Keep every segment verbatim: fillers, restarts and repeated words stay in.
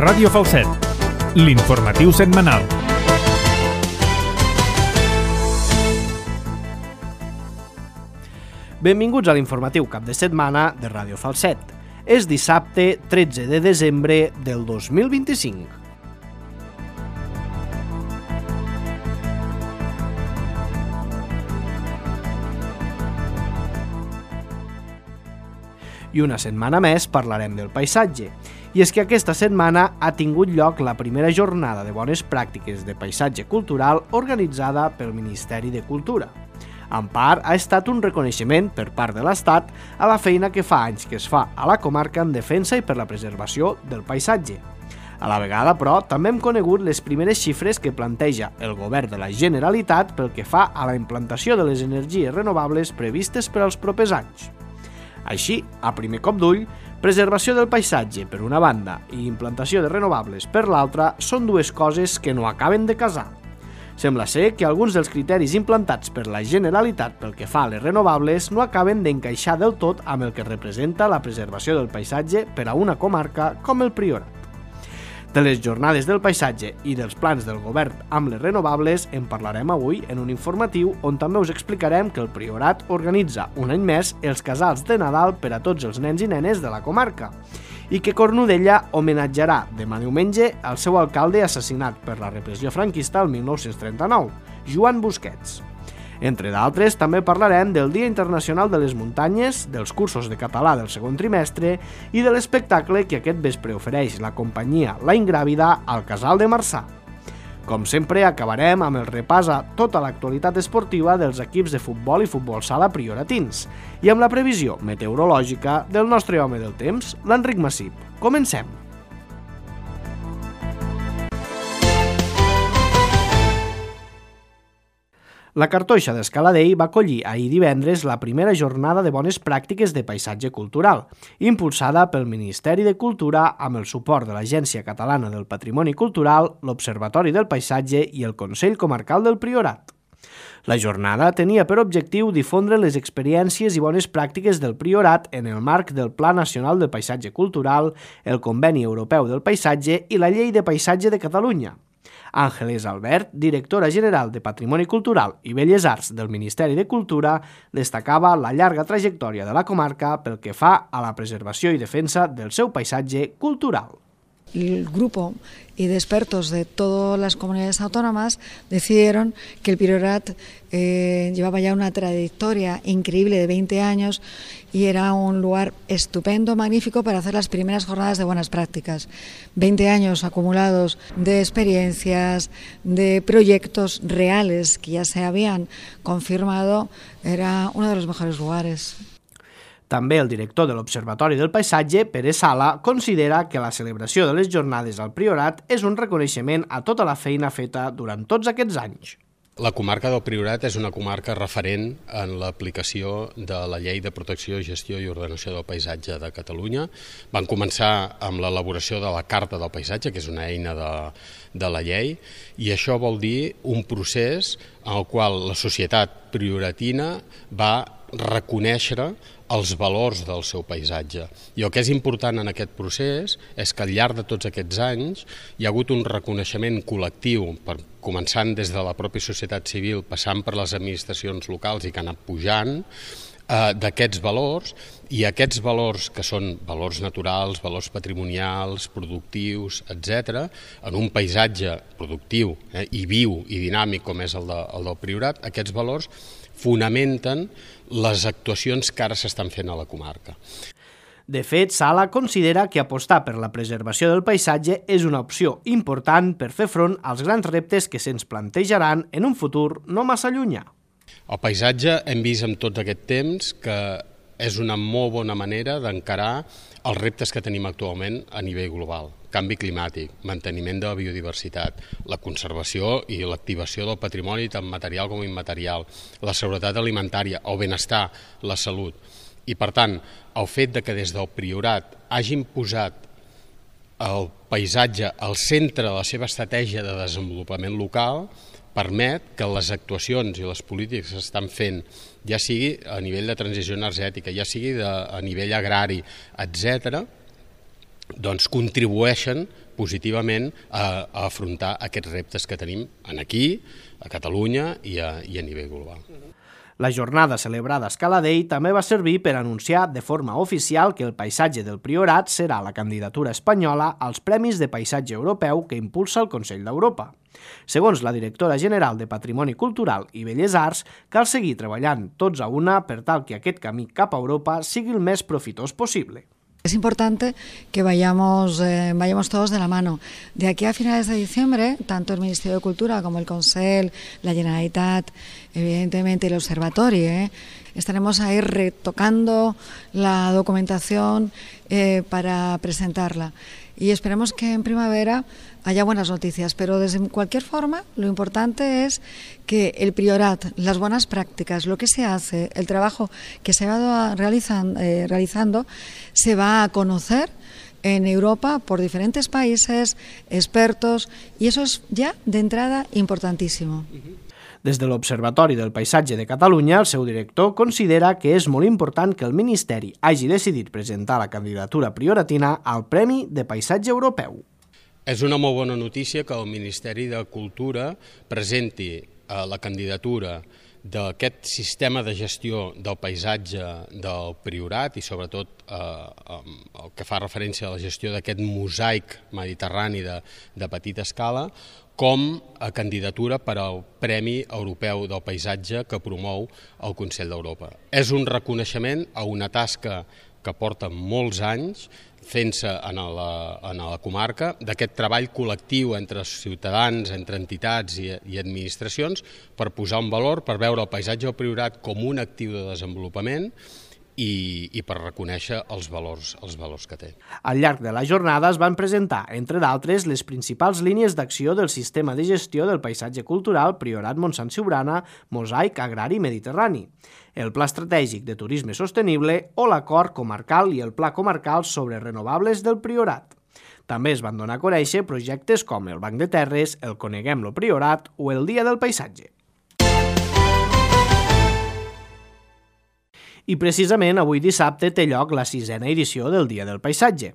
Ràdio Falset, l'informatiu setmanal. Benvinguts a l'informatiu cap de setmana de Ràdio Falset. És dissabte tretze de desembre del dos mil vint-i-cinc. I una setmana més parlarem del paisatge. I és que aquesta setmana ha tingut lloc la primera jornada de bones pràctiques de paisatge cultural organitzada pel Ministeri de Cultura. En part, ha estat un reconeixement per part de l'Estat a la feina que fa anys que es fa a la comarca en defensa i per la preservació del paisatge. A la vegada, però, també hem conegut les primeres xifres que planteja el Govern de la Generalitat pel que fa a la implantació de les energies renovables previstes per als propers anys. Així, a primer cop d'ull, preservació del paisatge per una banda i implantació de renovables per l'altra són dues coses que no acaben de casar. Sembla ser que alguns dels criteris implantats per la Generalitat pel que fa a les renovables no acaben d'encaixar del tot amb el que representa la preservació del paisatge per a una comarca com el Priorat. De les jornades del paisatge i dels plans del govern amb les renovables en parlarem avui en un informatiu on també us explicarem que el Priorat organitza un any més els casals de Nadal per a tots els nens i nenes de la comarca i que Cornudella homenatjarà demà diumenge al seu alcalde assassinat per la repressió franquista el mil nou-cents trenta-nou, Joan Busquets. Entre d'altres, també parlarem del Dia Internacional de les Muntanyes, dels cursos de català del segon trimestre i de l'espectacle que aquest vespre ofereix la companyia La Ingràvida al Casal de Marçà. Com sempre, acabarem amb el repàs a tota l'actualitat esportiva dels equips de futbol i futbol sala prioratins i amb la previsió meteorològica del nostre home del temps, l'Enric Massip. Comencem! La Cartoixa d'Escaladei va acollir ahir divendres la primera jornada de bones pràctiques de paisatge cultural, impulsada pel Ministeri de Cultura amb el suport de l'Agència Catalana del Patrimoni Cultural, l'Observatori del Paisatge i el Consell Comarcal del Priorat. La jornada tenia per objectiu difondre les experiències i bones pràctiques del Priorat en el marc del Pla Nacional del Paisatge Cultural, el Conveni Europeu del Paisatge i la Llei de Paisatge de Catalunya. Àngeles Albert, directora general de Patrimoni Cultural i Belles Arts del Ministeri de Cultura, destacava la llarga trajectòria de la comarca pel que fa a la preservació i defensa del seu paisatge cultural. El grupo y de expertos de todas las comunidades autónomas decidieron que el Priorat eh, llevaba ya una trayectoria increíble de veinte años y era un lugar estupendo, magnífico para hacer las primeras jornadas de buenas prácticas. veinte años acumulados de experiencias, de proyectos reales que ya se habían confirmado, era uno de los mejores lugares. També el director de l'Observatori del Paisatge, Pere Sala, considera que la celebració de les jornades al Priorat és un reconeixement a tota la feina feta durant tots aquests anys. La comarca del Priorat és una comarca referent en l'aplicació de la Llei de Protecció, Gestió i Ordenació del Paisatge de Catalunya. Van començar amb l'elaboració de la Carta del Paisatge, que és una eina de, de la llei, i això vol dir un procés en el qual la societat prioratina va reconèixer els valors del seu paisatge. I el que és important en aquest procés és que al llarg de tots aquests anys hi ha hagut un reconeixement col·lectiu, per, començant des de la pròpia societat civil, passant per les administracions locals i que ha anat pujant, eh, d'aquests valors, i aquests valors que són valors naturals, valors patrimonials, productius, etcètera, en un paisatge productiu eh, i viu i dinàmic com és el, de, el del Priorat, aquests valors fonamenten les actuacions que ara s'estan fent a la comarca. De fet, Sala considera que apostar per la preservació del paisatge és una opció important per fer front als grans reptes que se'ns plantejaran en un futur no massa llunyà. El paisatge hem vist en tot aquest temps que és una molt bona manera d'encarar els reptes que tenim actualment a nivell global. Canvi climàtic, manteniment de la biodiversitat, la conservació i l'activació del patrimoni tant material com immaterial, la seguretat alimentària, el benestar, la salut. I per tant, el fet de que des del Priorat hagin posat el paisatge al centre de la seva estratègia de desenvolupament local permet que les actuacions i les polítiques que s'estan fent, ja sigui a nivell de transició energètica, ja sigui de, a nivell agrari, etcètera, doncs contribueixen positivament a, a afrontar aquests reptes que tenim aquí, a Catalunya i a, i a nivell global. La jornada celebrada a Escala Dei també va servir per anunciar de forma oficial que el paisatge del Priorat serà la candidatura espanyola als Premis de Paisatge Europeu que impulsa el Consell d'Europa. Segons la directora general de Patrimoni Cultural i Belles Arts, cal seguir treballant tots a una per tal que aquest camí cap a Europa sigui el més profitós possible. Es importante que vayamos, eh, vayamos todos de la mano. De aquí a finales de diciembre, tanto el Ministerio de Cultura como el Consell, la Generalitat, evidentemente el Observatorio, eh, estaremos ahí retocando la documentación eh, para presentarla. Y esperemos que en primavera haya buenas noticias, pero de cualquier forma lo importante es que el Priorat, las buenas prácticas, lo que se hace, el trabajo que se va realizando, eh, realizando se va a conocer en Europa por diferentes países, expertos, y eso es ya de entrada importantísimo. Des de l'Observatori del Paisatge de Catalunya, el seu director considera que és molt important que el Ministeri hagi decidit presentar la candidatura prioratina al Premi de Paisatge Europeu. És una molt bona notícia que el Ministeri de Cultura presenti la candidatura d'aquest sistema de gestió del paisatge del Priorat i sobretot eh, el que fa referència a la gestió d'aquest mosaic mediterrani de, de petita escala com a candidatura per al Premi Europeu del Paisatge que promou el Consell d'Europa. És un reconeixement a una tasca que porta molts anys fent-se en la, en la comarca, d'aquest treball col·lectiu entre ciutadans, entre entitats i, i administracions per posar un valor, per veure el paisatge del Priorat com un actiu de desenvolupament i, i per reconèixer els valors, els valors que té. Al llarg de la jornada es van presentar, entre d'altres, les principals línies d'acció del sistema de gestió del paisatge cultural Priorat Montsant Siurana, Mosaic Agrari Mediterrani, el Pla Estratègic de Turisme Sostenible o l'Acord Comarcal i el Pla Comarcal sobre Renovables del Priorat. També es van donar a conèixer projectes com el Banc de Terres, el Coneguem-lo Priorat o el Dia del Paisatge. I precisament avui dissabte té lloc la sisena edició del Dia del Paisatge.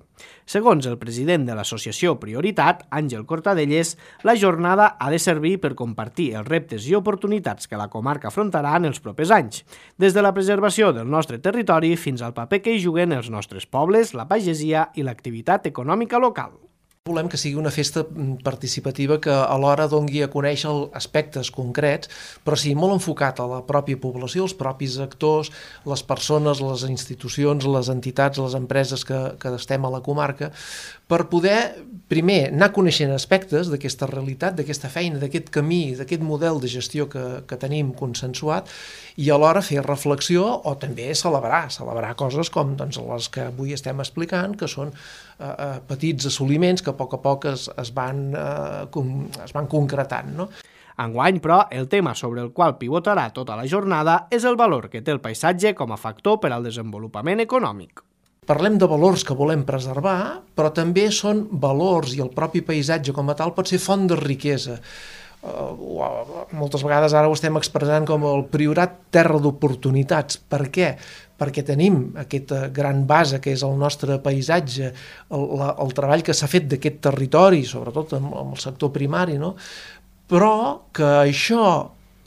Segons el president de l'associació Prioritat, Àngel Cortadelles, la jornada ha de servir per compartir els reptes i oportunitats que la comarca afrontarà en els propers anys, des de la preservació del nostre territori fins al paper que hi juguen els nostres pobles, la pagesia i l'activitat econòmica local. Volem que sigui una festa participativa que alhora doni a conèixer aspectes concrets, però sí molt enfocat a la pròpia població, els propis actors, les persones, les institucions, les entitats, les empreses que, que estem a la comarca, per poder, primer, anar coneixent aspectes d'aquesta realitat, d'aquesta feina, d'aquest camí, d'aquest model de gestió que, que tenim consensuat, i alhora fer reflexió o també celebrar, celebrar coses com doncs, les que avui estem explicant, que són eh, petits assoliments que a poc a poc es, es, van, eh, com, es van concretant, no? Enguany, però, el tema sobre el qual pivotarà tota la jornada és el valor que té el paisatge com a factor per al desenvolupament econòmic. Parlem de valors que volem preservar, però també són valors i el propi paisatge com a tal pot ser font de riquesa. Uh, moltes vegades ara ho estem expressant com el Priorat terra d'oportunitats. Per què? Perquè tenim aquesta gran base que és el nostre paisatge, el, la, el treball que s'ha fet d'aquest territori, sobretot amb, amb el sector primari, no? Però que això,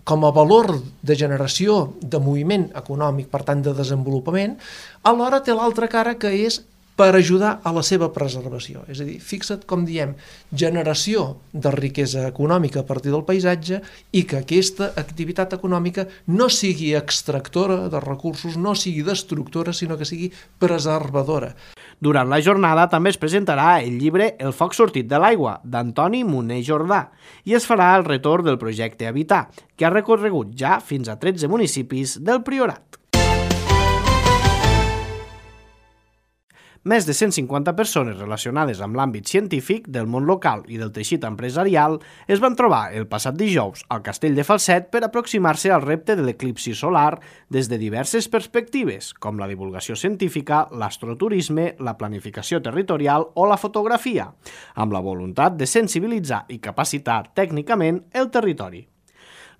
com a valor de generació de moviment econòmic, per tant de desenvolupament, alhora té l'altra cara que és per ajudar a la seva preservació. És a dir, fixa't com diem, generació de riquesa econòmica a partir del paisatge i que aquesta activitat econòmica no sigui extractora de recursos, no sigui destructora, sinó que sigui preservadora. Durant la jornada també es presentarà el llibre El foc sortit de l'aigua, d'Antoni Moner Jordà, i es farà el retorn del projecte Habitar, que ha recorregut ja fins a tretze municipis del Priorat. Més de cent cinquanta persones relacionades amb l'àmbit científic, del món local i del teixit empresarial es van trobar el passat dijous al Castell de Falset per aproximar-se al repte de l'eclipsi solar des de diverses perspectives, com la divulgació científica, l'astroturisme, la planificació territorial o la fotografia, amb la voluntat de sensibilitzar i capacitar tècnicament el territori.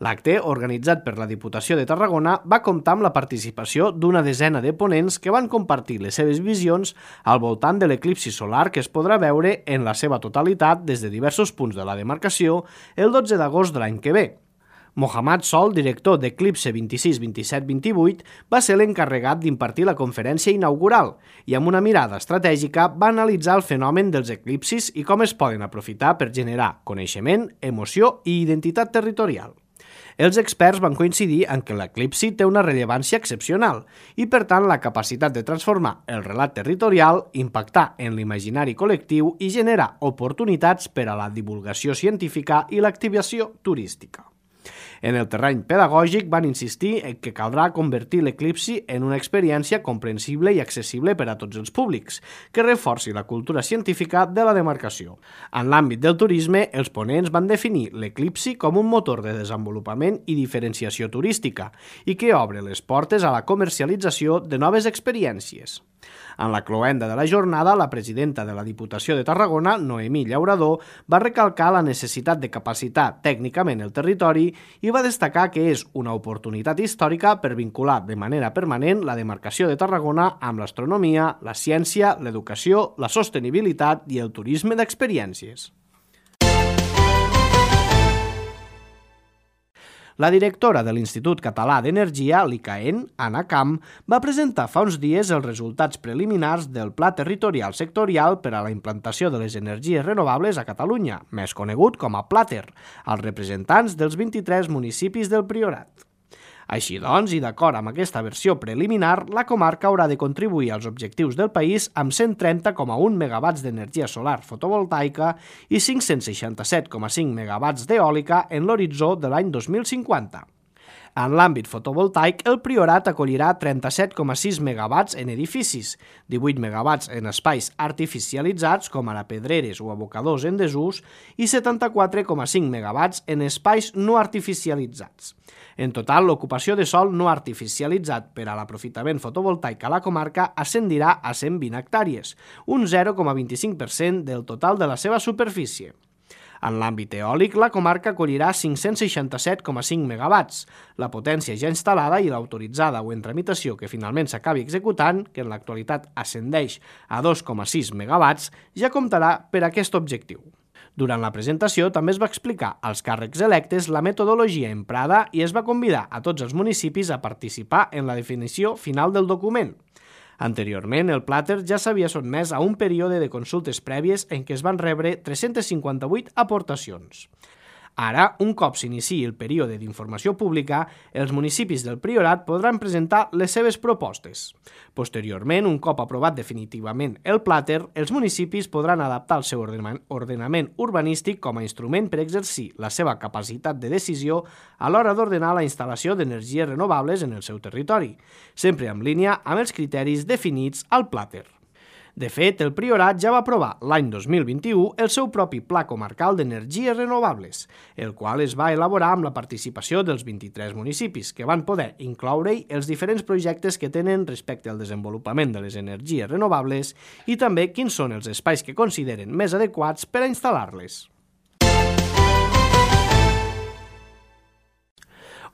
L'acte, organitzat per la Diputació de Tarragona, va comptar amb la participació d'una desena de ponents que van compartir les seves visions al voltant de l'eclipsi solar que es podrà veure en la seva totalitat des de diversos punts de la demarcació el dotze d'agost de l'any que ve. Mohammad Sol, director d'Eclipse vint-i-sis, vint-i-set, vint-i-vuit, va ser l'encarregat d'impartir la conferència inaugural i amb una mirada estratègica va analitzar el fenomen dels eclipsis i com es poden aprofitar per generar coneixement, emoció i identitat territorial. Els experts van coincidir en que l'eclipsi té una rellevància excepcional i, per tant, la capacitat de transformar el relat territorial, impactar en l'imaginari col·lectiu i generar oportunitats per a la divulgació científica i l'activació turística. En el terreny pedagògic van insistir en que caldrà convertir l'eclipsi en una experiència comprensible i accessible per a tots els públics, que reforci la cultura científica de la demarcació. En l'àmbit del turisme, els ponents van definir l'eclipsi com un motor de desenvolupament i diferenciació turística i que obre les portes a la comercialització de noves experiències. En la cloenda de la jornada, la presidenta de la Diputació de Tarragona, Noemí Llaurador, va recalcar la necessitat de capacitar tècnicament el territori i va destacar que és una oportunitat històrica per vincular de manera permanent la demarcació de Tarragona amb l'astronomia, la ciència, l'educació, la sostenibilitat i el turisme d'experiències. La directora de l'Institut Català d'Energia, l'I C A E N, Anna Camp, va presentar fa uns dies els resultats preliminars del Pla Territorial Sectorial per a la implantació de les energies renovables a Catalunya, més conegut com a Plater, als representants dels vint-i-tres municipis del Priorat. Així doncs, i d'acord amb aquesta versió preliminar, la comarca haurà de contribuir als objectius del país amb cent trenta coma un megawatts d'energia solar fotovoltaica i cinc-cents seixanta-set coma cinc megawatts d'eòlica en l'horitzó de l'any dos mil cinquanta. En l'àmbit fotovoltaic, el Priorat acollirà trenta-set coma sis megawatts en edificis, divuit megawatts en espais artificialitzats com ara pedreres o abocadors en desús i setanta-quatre coma cinc megawatts en espais no artificialitzats. En total, l'ocupació de sòl no artificialitzat per a l'aprofitament fotovoltaic a la comarca ascendirà a cent vint hectàrees, un zero coma vint-i-cinc per cent del total de la seva superfície. En l'àmbit eòlic, la comarca acollirà cinc-cents seixanta-set coma cinc megawatts. La potència ja instal·lada i l'autoritzada o en tramitació que finalment s'acabi executant, que en l'actualitat ascendeix a dos coma sis megawatts, ja comptarà per a aquest objectiu. Durant la presentació també es va explicar als càrrecs electes la metodologia emprada i es va convidar a tots els municipis a participar en la definició final del document. Anteriorment, el Plater ja s'havia sotmès a un període de consultes prèvies en què es van rebre tres-centes cinquanta-vuit aportacions. Ara, un cop s'iniciï el període d'informació pública, els municipis del Priorat podran presentar les seves propostes. Posteriorment, un cop aprovat definitivament el Plater, els municipis podran adaptar el seu ordenament urbanístic com a instrument per exercir la seva capacitat de decisió a l'hora d'ordenar la instal·lació d'energies renovables en el seu territori, sempre en línia amb els criteris definits al Plater. De fet, el Priorat ja va aprovar l'any dos mil vint-i-u el seu propi Pla Comarcal d'Energies Renovables, el qual es va elaborar amb la participació dels vint-i-tres municipis, que van poder incloure-hi els diferents projectes que tenen respecte al desenvolupament de les energies renovables i també quins són els espais que consideren més adequats per a instal·lar-les.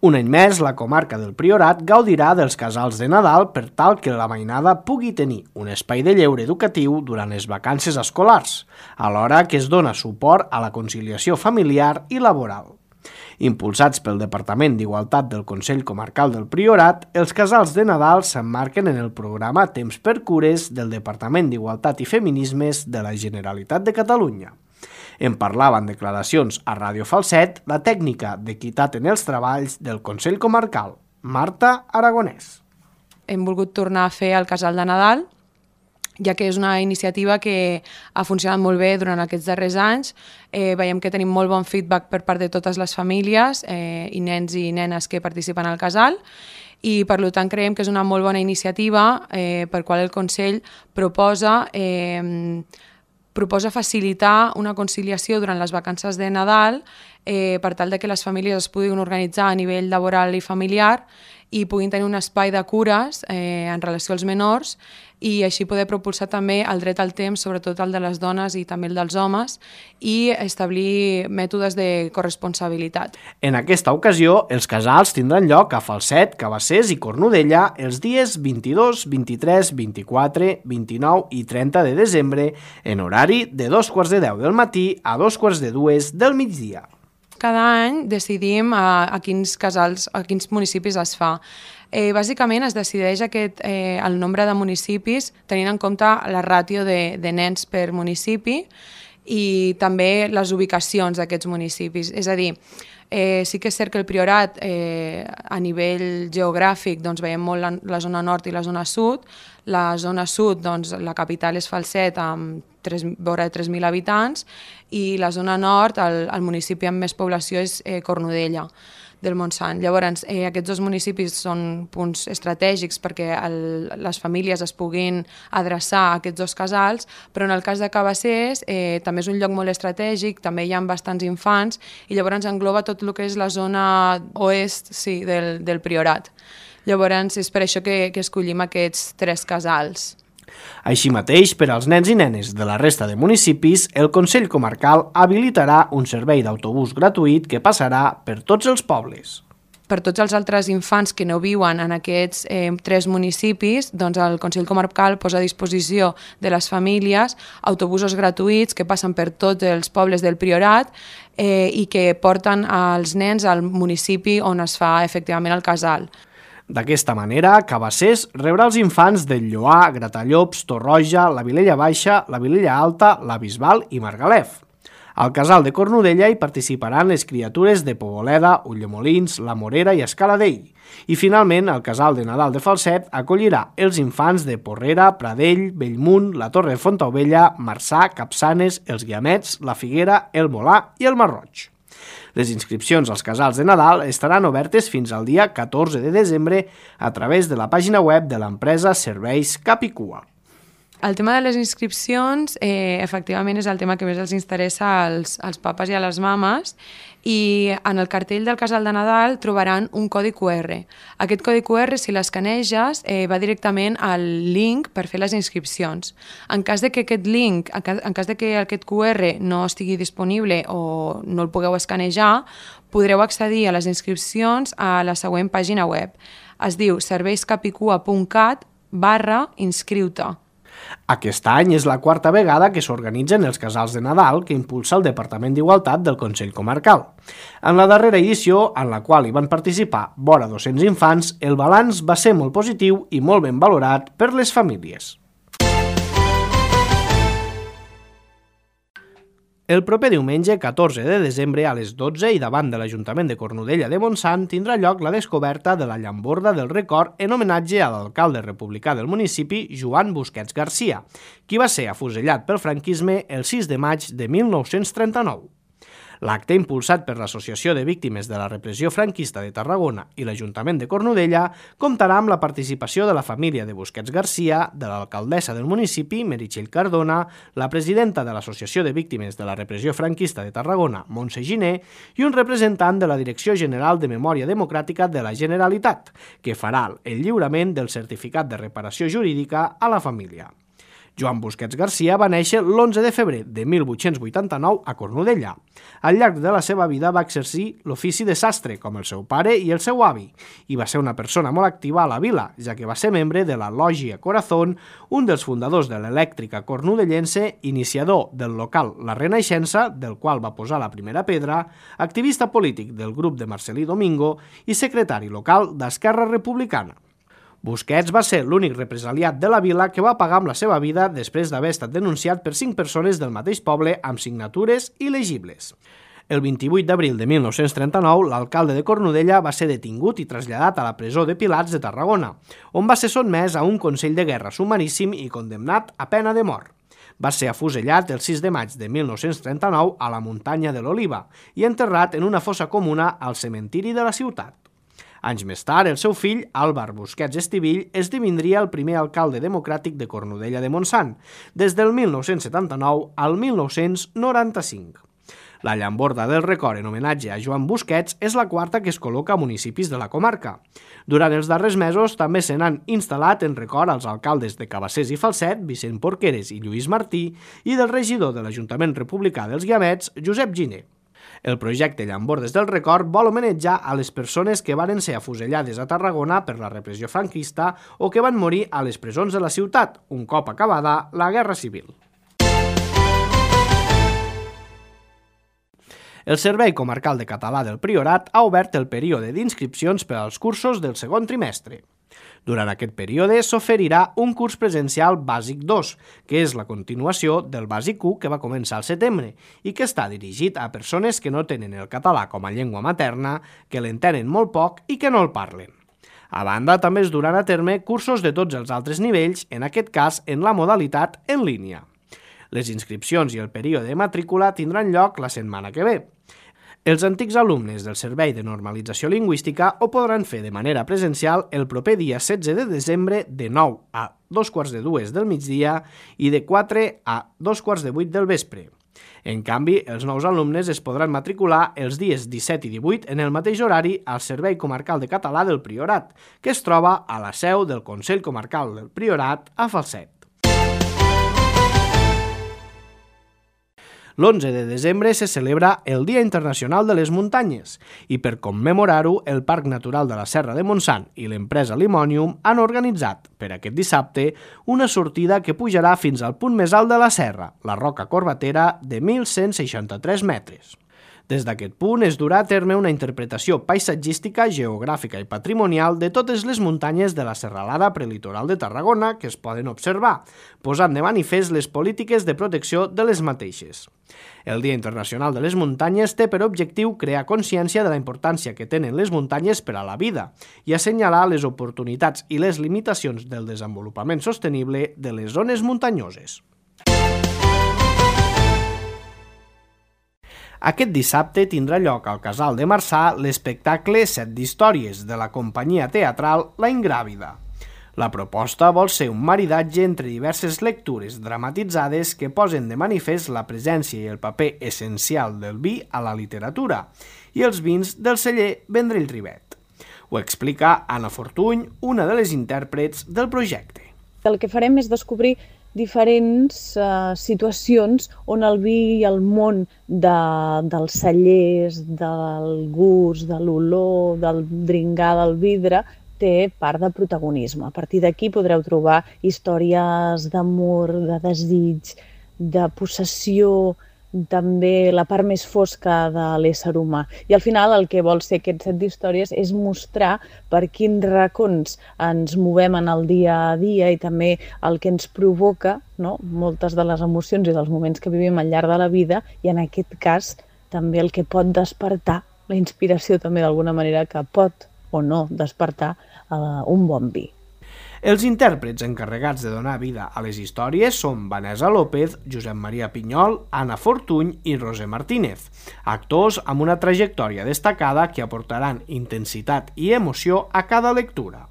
Un any més, la comarca del Priorat gaudirà dels casals de Nadal per tal que la mainada pugui tenir un espai de lleure educatiu durant les vacances escolars, alhora que es dona suport a la conciliació familiar i laboral. Impulsats pel Departament d'Igualtat del Consell Comarcal del Priorat, els casals de Nadal s'emmarquen en el programa Temps per Cures del Departament d'Igualtat i Feminismes de la Generalitat de Catalunya. En parlava en declaracions a Ràdio Falset la tècnica d'equitat en els treballs del Consell Comarcal, Marta Aragonès. Hem volgut tornar a fer el Casal de Nadal, ja que és una iniciativa que ha funcionat molt bé durant aquests darrers anys. Eh, veiem que tenim molt bon feedback per part de totes les famílies eh, i nens i nenes que participen al casal, i per tant creiem que és una molt bona iniciativa eh, per qual el Consell proposa eh, proposa facilitar una conciliació durant les vacances de Nadal eh, per tal de que les famílies es puguin organitzar a nivell laboral i familiar i puguin tenir un espai de cures eh, en relació als menors i així poder propulsar també el dret al temps, sobretot el de les dones i també el dels homes, i establir mètodes de corresponsabilitat. En aquesta ocasió, els casals tindran lloc a Falset, Cabassers i Cornudella els dies vint-i-dos, vint-i-tres, vint-i-quatre, vint-i-nou i trenta de desembre en horari de dos quarts de deu del matí a dos quarts de dues del migdia. Cada any decidim a, a quins casals, a quins municipis es fa. Eh, bàsicament es decideix aquest, eh, el nombre de municipis tenint en compte la ràtio de, de nens per municipi i també les ubicacions d'aquests municipis. És a dir, eh, sí que és cert que el Priorat eh, a nivell geogràfic doncs, veiem molt la, la zona nord i la zona sud. La zona sud, doncs, la capital és Falset amb tres, vora de tres mil habitants i la zona nord, el, el municipi amb més població és eh, Cornudella del Montsant. Llavors, eh, aquests dos municipis són punts estratègics perquè el, les famílies es puguin adreçar a aquests dos casals, però en el cas de Cabassers eh, també és un lloc molt estratègic, també hi ha bastants infants i llavors engloba tot el que és la zona oest sí, del, del Priorat. Llavors és per això que, que escollim aquests tres casals. Així mateix, per als nens i nenes de la resta de municipis, el Consell Comarcal habilitarà un servei d'autobús gratuït que passarà per tots els pobles. Per tots els altres infants que no viuen en aquests eh, tres municipis, doncs el Consell Comarcal posa a disposició de les famílies autobusos gratuïts que passen per tots els pobles del Priorat eh, i que porten els nens al municipi on es fa efectivament el casal. D'aquesta manera, Cabassers rebrà els infants del Lloar, Gratallops, Torroja, la Vilella Baixa, la Vilella Alta, la Bisbal i Margalef. Al casal de Cornudella hi participaran les criatures de Poboleda, Ulldemolins, La Morera i Escaladell. I finalment, el casal de Nadal de Falset acollirà els infants de Porrera, Pradell, Bellmunt, la Torre de Fontaubella, Marçà, Capçanes, els Guiamets, la Figuera, el Molà i el Marroig. Les inscripcions als casals de Nadal estaran obertes fins al dia catorze de desembre a través de la pàgina web de l'empresa Serveis Capicua. El tema de les inscripcions, eh, efectivament, és el tema que més els interessa als, als papes i a les mames i en el cartell del casal de Nadal trobaran un codi cu erre. Aquest codi cu erre, si l'escaneges, eh, va directament al link per fer les inscripcions. En cas de que aquest link, en cas de que aquest cu erre no estigui disponible o no el pugueu escanejar, podreu accedir a les inscripcions a la següent pàgina web. Es diu serveiscapicua punt cat barra inscriu-te. Aquest any és la quarta vegada que s'organitzen els casals de Nadal que impulsa el Departament d'Igualtat del Consell Comarcal. En la darrera edició, en la qual hi van participar vora dos-cents infants, el balanç va ser molt positiu i molt ben valorat per les famílies. El proper diumenge, catorze de desembre, a les dotze i davant de l'Ajuntament de Cornudella de Montsant tindrà lloc la descoberta de la llamborda del record en homenatge a l'alcalde republicà del municipi, Joan Busquets Garcia, qui va ser afusellat pel franquisme el sis de maig de mil nou-cents trenta-nou. L'acte, impulsat per l'Associació de Víctimes de la Repressió Franquista de Tarragona i l'Ajuntament de Cornudella, comptarà amb la participació de la família de Busquets Garcia, de l'alcaldessa del municipi, Meritxell Cardona, la presidenta de l'Associació de Víctimes de la Repressió Franquista de Tarragona, Montse Giner, i un representant de la Direcció General de Memòria Democràtica de la Generalitat, que farà el lliurament del certificat de reparació jurídica a la família. Joan Busquets Garcia va néixer l'onze de febrer de mil vuit-cents vuitanta-nou a Cornudella. Al llarg de la seva vida va exercir l'ofici de sastre, com el seu pare i el seu avi, i va ser una persona molt activa a la vila, ja que va ser membre de la Lògia Corazón, un dels fundadors de l'elèctrica cornudellense, iniciador del local La Renaixença, del qual va posar la primera pedra, activista polític del grup de Marcelí Domingo i secretari local d'Esquerra Republicana. Busquets va ser l'únic represaliat de la vila que va pagar amb la seva vida després d'haver estat denunciat per cinc persones del mateix poble amb signatures il·legibles. El vint-i-vuit d'abril de mil nou-cents trenta-nou, l'alcalde de Cornudella va ser detingut i traslladat a la presó de Pilats de Tarragona, on va ser sotmès a un consell de guerra sumaríssim i condemnat a pena de mort. Va ser afusellat el sis de maig de mil nou-cents trenta-nou a la muntanya de l'Oliva i enterrat en una fossa comuna al cementiri de la ciutat. Anys més tard, el seu fill, Àlvar Busquets Estivill, esdevindria el primer alcalde democràtic de Cornudella de Montsant, des del mil nou-cents setanta-nou al mil nou-cents noranta-cinc. La llamborda del record en homenatge a Joan Busquets és la quarta que es col·loca a municipis de la comarca. Durant els darrers mesos també se n'han instal·lat en record als alcaldes de Cabassers i Falset, Vicent Porqueres i Lluís Martí, i del regidor de l'Ajuntament Republicà dels Guiamets, Josep Giner. El projecte Llambordes del Record vol homenatjar a les persones que varen ser afusellades a Tarragona per la repressió franquista o que van morir a les presons de la ciutat, un cop acabada la Guerra Civil. El Servei Comarcal de Català del Priorat ha obert el període d'inscripcions per als cursos del segon trimestre. Durant aquest període s'oferirà un curs presencial bàsic dos, que és la continuació del bàsic u que va començar al setembre i que està dirigit a persones que no tenen el català com a llengua materna, que l'entenen molt poc i que no el parlen. A banda, també es duran a terme cursos de tots els altres nivells, en aquest cas en la modalitat en línia. Les inscripcions i el període de matrícula tindran lloc la setmana que ve. Els antics alumnes del Servei de Normalització Lingüística ho podran fer de manera presencial el proper dia setze de desembre de nou a dos quarts de dues del migdia i de quatre a dos quarts de vuit del vespre. En canvi, els nous alumnes es podran matricular els dies disset i divuit en el mateix horari al Servei Comarcal de Català del Priorat, que es troba a la seu del Consell Comarcal del Priorat a Falset. l'onze de desembre se celebra el Dia Internacional de les Muntanyes i per commemorar-ho el Parc Natural de la Serra de Montsant i l'empresa Limonium han organitzat per aquest dissabte una sortida que pujarà fins al punt més alt de la serra, la Roca Corbatera, de mil cent seixanta-tres metres. Des d'aquest punt es durà a terme una interpretació paisatgística, geogràfica i patrimonial de totes les muntanyes de la serralada prelitoral de Tarragona que es poden observar, posant de manifest les polítiques de protecció de les mateixes. El Dia Internacional de les Muntanyes té per objectiu crear consciència de la importància que tenen les muntanyes per a la vida i assenyalar les oportunitats i les limitacions del desenvolupament sostenible de les zones muntanyoses. Aquest dissabte tindrà lloc al Casal de Marçà l'espectacle Set d'Històries de la companyia teatral La Ingràvida. La proposta vol ser un maridatge entre diverses lectures dramatitzades que posen de manifest la presència i el paper essencial del vi a la literatura i els vins del celler Vendrell Ribet. Ho explica Anna Fortuny, una de les intèrprets del projecte. El que farem és descobrir diferents uh, situacions on el vi i el món de, dels cellers, del gust, de l'olor, del dringar del vidre, té part de protagonisme. A partir d'aquí podreu trobar històries d'amor, de desig, de possessió, també la part més fosca de l'ésser humà. I al final el que vol ser aquest set d'històries és mostrar per quins racons ens movem en el dia a dia i també el que ens provoca, no? Moltes de les emocions i dels moments que vivim al llarg de la vida i en aquest cas també el que pot despertar la inspiració també d'alguna manera que pot o no despertar uh, un bon vi. Els intèrprets encarregats de donar vida a les històries són Vanessa López, Josep Maria Pinyol, Anna Fortuny i Roser Martínez, actors amb una trajectòria destacada que aportaran intensitat i emoció a cada lectura.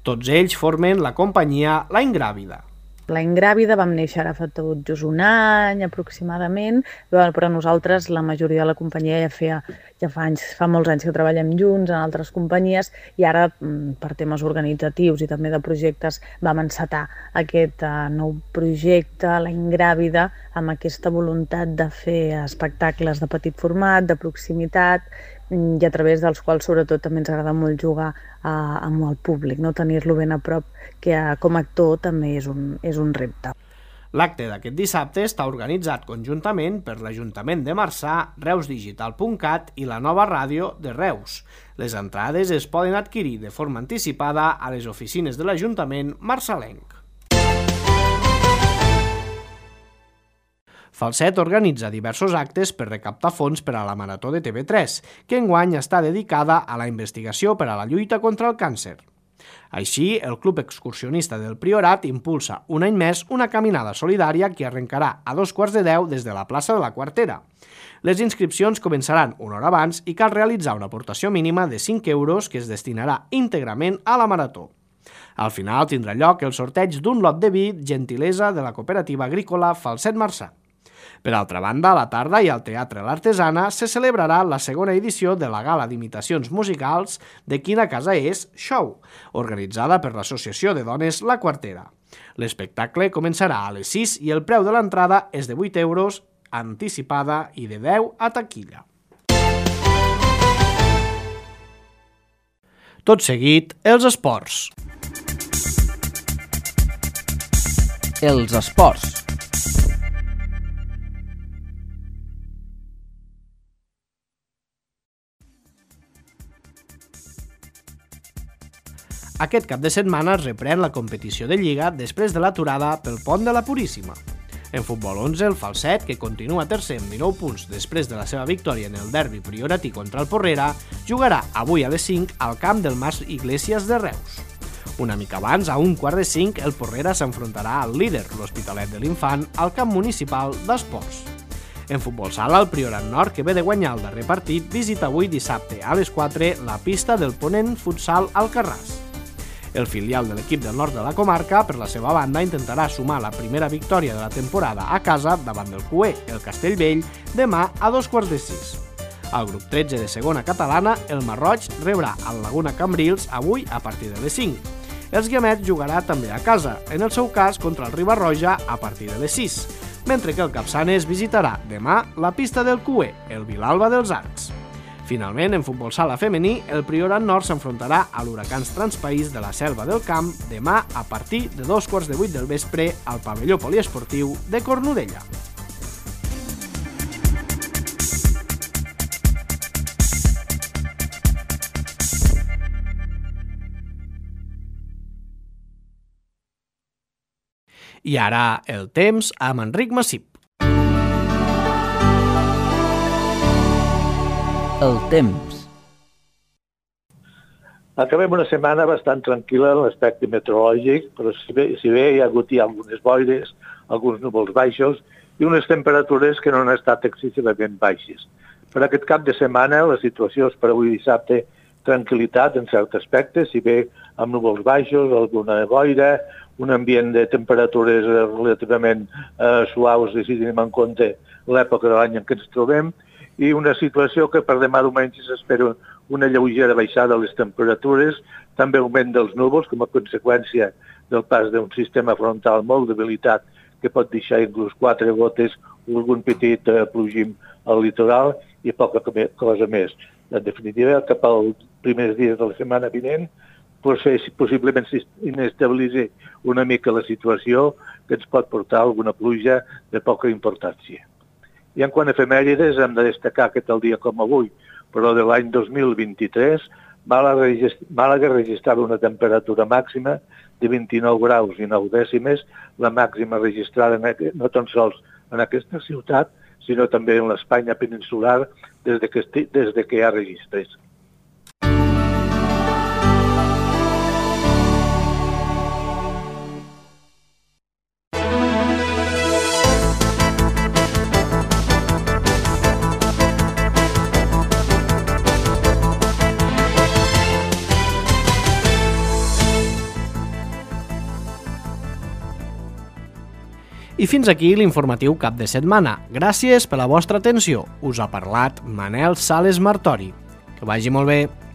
Tots ells formen la companyia La Ingràvida. La Ingràvida vam néixer ara fa tot just un any aproximadament, però nosaltres, la majoria de la companyia ja feia ja fa anys, fa molts anys que treballem junts en altres companyies i ara per temes organitzatius i també de projectes vam encetar aquest uh, nou projecte, La Ingràvida, amb aquesta voluntat de fer espectacles de petit format, de proximitat i a través dels quals sobretot també ens agrada molt jugar uh, amb el públic, no? Tenir-lo ben a prop, que uh, com a actor també és un, és un repte. L'acte d'aquest dissabte està organitzat conjuntament per l'Ajuntament de Marçà, Reus Digital punt cat i la Nova Ràdio de Reus. Les entrades es poden adquirir de forma anticipada a les oficines de l'Ajuntament marçalenc. Falset organitza diversos actes per recaptar fons per a la Marató de T V tres, que enguany està dedicada a la investigació per a la lluita contra el càncer. Així, el Club Excursionista del Priorat impulsa un any més una caminada solidària que arrencarà a dos quarts de deu des de la plaça de la Quartera. Les inscripcions començaran una hora abans i cal realitzar una aportació mínima de cinc euros que es destinarà íntegrament a la marató. Al final tindrà lloc el sorteig d'un lot de vi gentilesa de la cooperativa agrícola Falset Marçà. Per altra banda, a la tarda i al Teatre L'Artesana se celebrarà la segona edició de la gala d'imitacions musicals de Quina casa és Show, organitzada per l'Associació de Dones La Quartera. L'espectacle començarà a les sis i el preu de l'entrada és de vuit euros anticipada i de deu a taquilla. Tot seguit, els esports. Els esports. Aquest cap de setmana es reprèn la competició de Lliga després de l'aturada pel pont de la Puríssima. En futbol onze, el Falset, que continua tercer amb dinou punts després de la seva victòria en el derbi prioratí contra el Porrera, jugarà avui a les cinc al camp del Mas Iglesias de Reus. Una mica abans, a un quart de cinc, el Porrera s'enfrontarà al líder, l'Hospitalet de l'Infant, al camp municipal d'Esports. En futbol sala, el Priorat Nord, que ve de guanyar el darrer partit, visita avui dissabte a les quatre la pista del Ponent Futsal Alcarràs. El filial de l'equip del nord de la comarca, per la seva banda, intentarà sumar la primera victòria de la temporada a casa davant del Cué, el Castellvell, demà a dos quarts de sis. Al grup tretze de segona catalana, el Marroig rebrà el Laguna Cambrils avui a partir de les cinc. Els Guiamets jugarà també a casa, en el seu cas contra el Riba-roja a partir de les sis, mentre que el Capçanes visitarà demà la pista del Cué, el Vilalba dels Arcs. Finalment, en futbol sala femení, el Priorat Nord s'enfrontarà a l'Huracans Transpaís de la Selva del Camp demà a partir de dos quarts de vuit del vespre al pavelló poliesportiu de Cornudella. I ara el temps amb Enric Massip. El temps. Acabem una setmana bastant tranquil·la en l'aspecte meteorològic, però si bé, si bé hi ha hagut ja algunes boires, alguns núvols baixos i unes temperatures que no han estat excessivament baixes. Per aquest cap de setmana la situació és per avui dissabte tranquil·litat en cert aspecte, si bé amb núvols baixos, alguna boira, un ambient de temperatures relativament eh, suaus si tenim en compte l'època de l'any en què ens trobem, i una situació que per demà diumenge s'espera una lleugera baixada de les temperatures, també augment dels núvols com a conseqüència del pas d'un sistema frontal molt debilitat que pot deixar inclús quatre gotes o algun petit eh, plogim al litoral i poca cosa més. En definitiva, cap als primers dies de la setmana vinent, possiblement s'inestabilitzi una mica la situació que ens pot portar alguna pluja de poca importància. I en quant a efemèrides, hem de destacar que tal dia com avui, però de l'any dos mil vint-i-tres, Màlaga registrava una temperatura màxima de vint-i-nou graus i nou dècimes, la màxima registrada no tan sols en aquesta ciutat, sinó també en l'Espanya peninsular des de que, des de que hi ha registres. I fins aquí l'informatiu cap de setmana. Gràcies per la vostra atenció. Us ha parlat Manel Sales Martori. Que vagi molt bé.